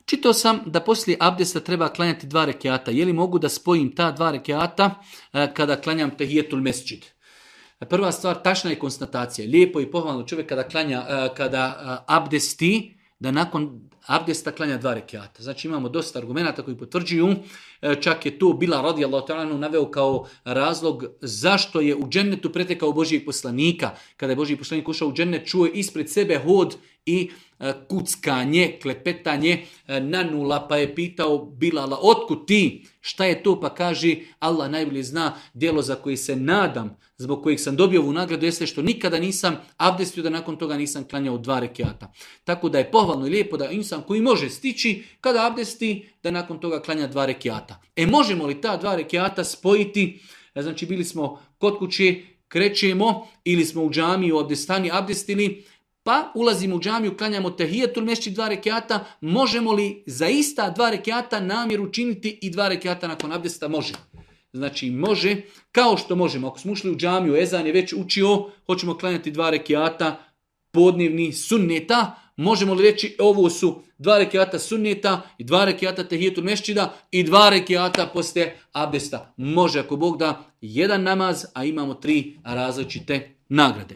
Čitao sam da poslije abdesta treba klanjati 2 rekiata. Je li mogu da spojim ta 2 rekiata kada klanjam tehijetul mesdžid? Prva stvar, tačna je konstatacija. Lijepo i pohvalno čovjek kada abdesti, da nakon abdesta klanja 2 rekiata. Znači imamo dosta argumenata koji potvrđuju, čak je tu Bilal radijallahu ta'ala naveo kao razlog zašto je u džennetu pretekao Božijeg poslanika. Kada je Božji poslanik ušao u džennet, čuo je ispred sebe hod i kuckanje, klepetanje na nula, pa je pitao Bilala, otkud ti? Šta je to? Pa kaže, Allah najbolje zna, djelo za koje se nadam, zbog kojeg sam dobio ovu nagradu, jeste što nikada nisam abdestio, da nakon toga nisam klanjao 2 rekiata. Tako da je pohvalno i lijepo da insan koji može stići, kada abdesti, da nakon toga klanja 2 rekiata. Možemo li ta 2 rekiata spojiti? Znači bili smo kod kuće, krećemo, ili smo u džamiji, u abdestani abdestili, pa ulazimo u džamiju, klanjamo tehijetul mesdžid 2 rekiata, možemo li za ista 2 rekiata namjeru činiti i 2 rekiata nakon abdesta? Može. Znači može, kao što možemo. Ako smo ušli u džamiju, ezan je već učio, hoćemo klanjati 2 rekiata podnevni sunneta, možemo li reći ovo su 2 rekiata sunneta i 2 rekiata tehijetul mesdžida i 2 rekiata poslije abdesta? Može, ako Bog da, jedan namaz, a imamo 3 različite nagrade.